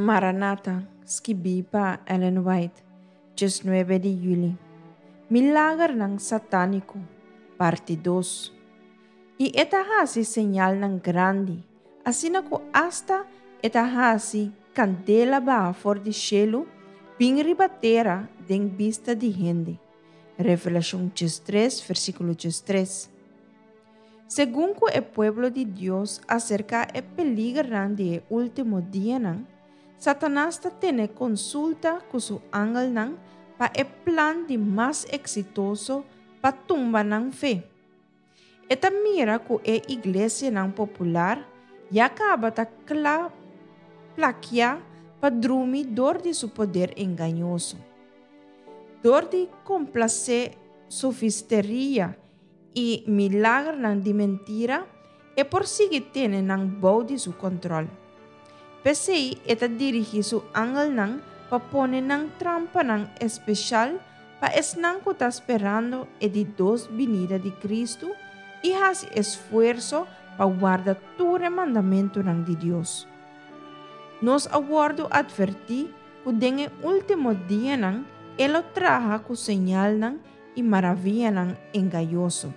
Maranata, skibí pa Ellen White, 19 di yüli. Milagernan satániko, parti dos. I e ta hasi señalnan grandi, asina ku asta e ta hasi kandela baha for di shelu bin riba tera den bista di hende. Revelashon 13, versíkulo 13. Segun ku e pueblo di Dios aserká e peligernan di e último dianan, Satanas ta tene konsulta ku su angelnan pa e plan di mas eksitoso pa tumba nan fe. E ta mira ku e iglesianan popular ya kaba ta kla plakiá pa drumi dor di su poder engañoso. Dor di komplasé sofisteria i milagernan di mentira, e por sigui tene nan bou di su kòntròl. P'esei e ta dirigí su angelnan pa pone nan trampanan espesial pa esnan ku ta sperando e di dos binida di Kristu i hasi esfuerso pa warda tur e mandamentunan di Dios. Nos a wòrdu atvertí ku den e último dianan e lo traha ku señalnan i maravianan engañoso.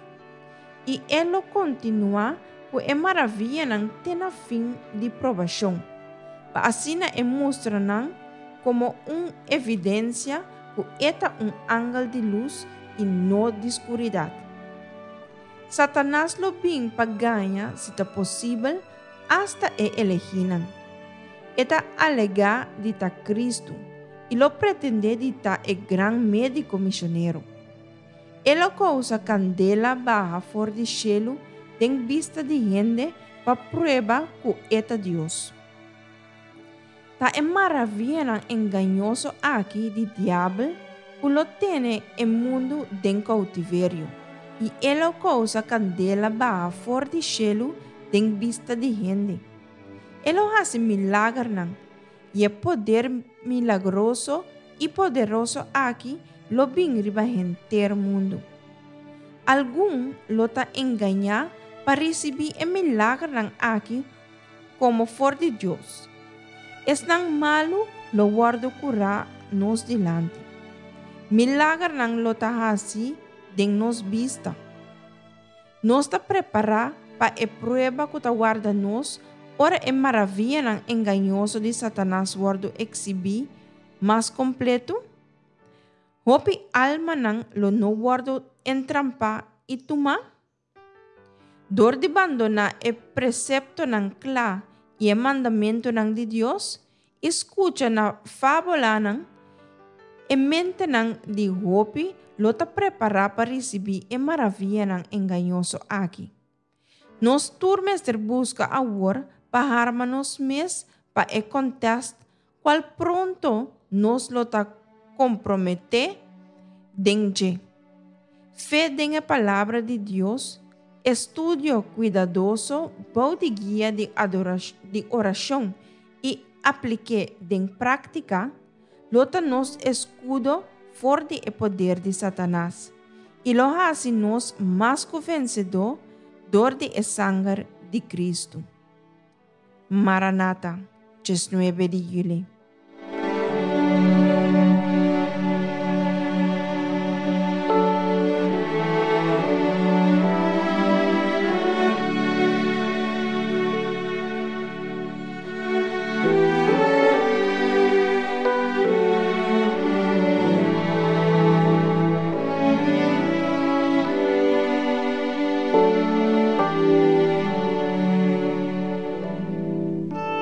I e lo kontinuá ku e maravianan te na fin di probashon, pa asina e mustra nan komo un evidensia ku e ta un angel di lus i no di skuridat. Satanas lo bin pa gaña, si ta posibel, asta e elegínan. E ta alegá di ta Kristu i lo pretendé di ta e gran médiko mishonero. E lo kousa kandela baha for di shelu den bista di hende pa prueba ku e ta Dios. Ta e maravianan engañoso aki di Diabel ku lo tene e mundu den koutiverio, i e lo kousa kandela baha for di shelu den bista di hende. E lo hasi milagernan, i e poder milagroso i poderoso aki lo bin riba henter mundu. Algun lo ta engañá pa risibí e milagernan aki komo for di Dios. Esnan malu lo wòrdu kurá nos dilanti. Milagernan lo ta hasi den nos bista. Nos ta prepará pa e prueba ku ta warda nos ora e maravianan engañoso di Satanas wòrdu eksibí mas kompletu? Hopi almanan lo no wòrdu entrampá i tumá? Dor di bandoná e preseptonan kla i e mandamentunan di Dios i skucha na fábulanan, e mentenan di hopi lo ta prepará pa risibí e maravianan engañoso aki. Nos tur mester buska awor pa harma nos mes pa e kontèst kual pronto nos lo ta komprometé den dje. Fe den e Palabra di Dios, estudio kuidadoso bou di guia di di orashon i aplik'é den práktika, lo ta nos eskudo for di e poder di Satanas i lo hasi nos mas ku vensedó dor di e sanger di Kristu. Maranata, 19 di yüli.